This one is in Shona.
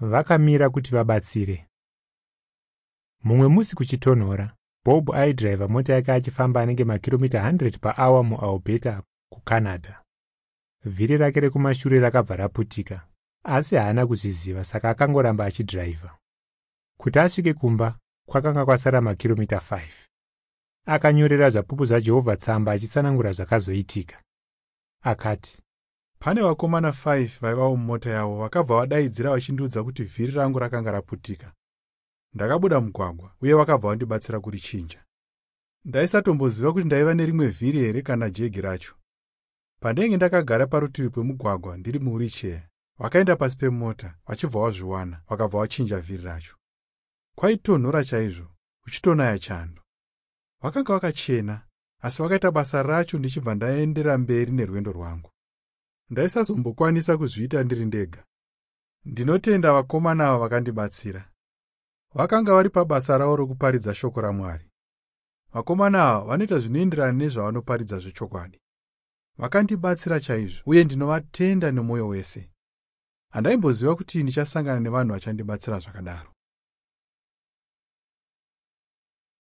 Vakamira kuti vabatsire. Mumwe musi kuchitonhora, Bob aidhiraivha mota yake achifamba anenge makiromita 100 paawa muAlberta, kuCanada. Vhiri rake rekumashure rakabva raputika, asi haana kuzviziva saka akangoramba achidhiraivha. Kuti asvike kumba kwakanga kwasara makiromita 5. Akanyorera Zvapupu zvaJehovha tsamba achitsanangura zvakazoitika. Akati, Pane vakomana 5 vaivawo mumota yavo vakabva vadaidzira vachindiudza kuti vhiri rangu rakanga raputika. Ndakabuda mugwagwa uye vakabva vandibatsira kurichinja. Ndaisatomboziva kuti ndaiva nerimwe vhiri here kana jegi racho. Pandainge ndakagara parutivi pemugwagwa ndiri muwiricheya, vakaenda pasi pemota vachibva vazviwana vakabva vachinja vhiri racho. Kwaitonhora chaizvo, kuchitonaya chando. Vakanga vakachena, asi vakaita basa racho ndichibva ndaendera mberi nerwendo rwangu. Ndaisazombokwanisa kuzviita ndiri ndega. Ndinotenda vakomana ava vakandibatsira. Vakanga vari pabasa ravo rokuparidza shoko raMwari. Vakomana ava vanoita zvinoenderana nezvavanoparidza zvechokwadi. Vakandibatsira chaizvo uye ndinovatenda nemwoyo wese. Handaimboziva kuti ndichasangana nevanhu vachandibatsira zvakadaro.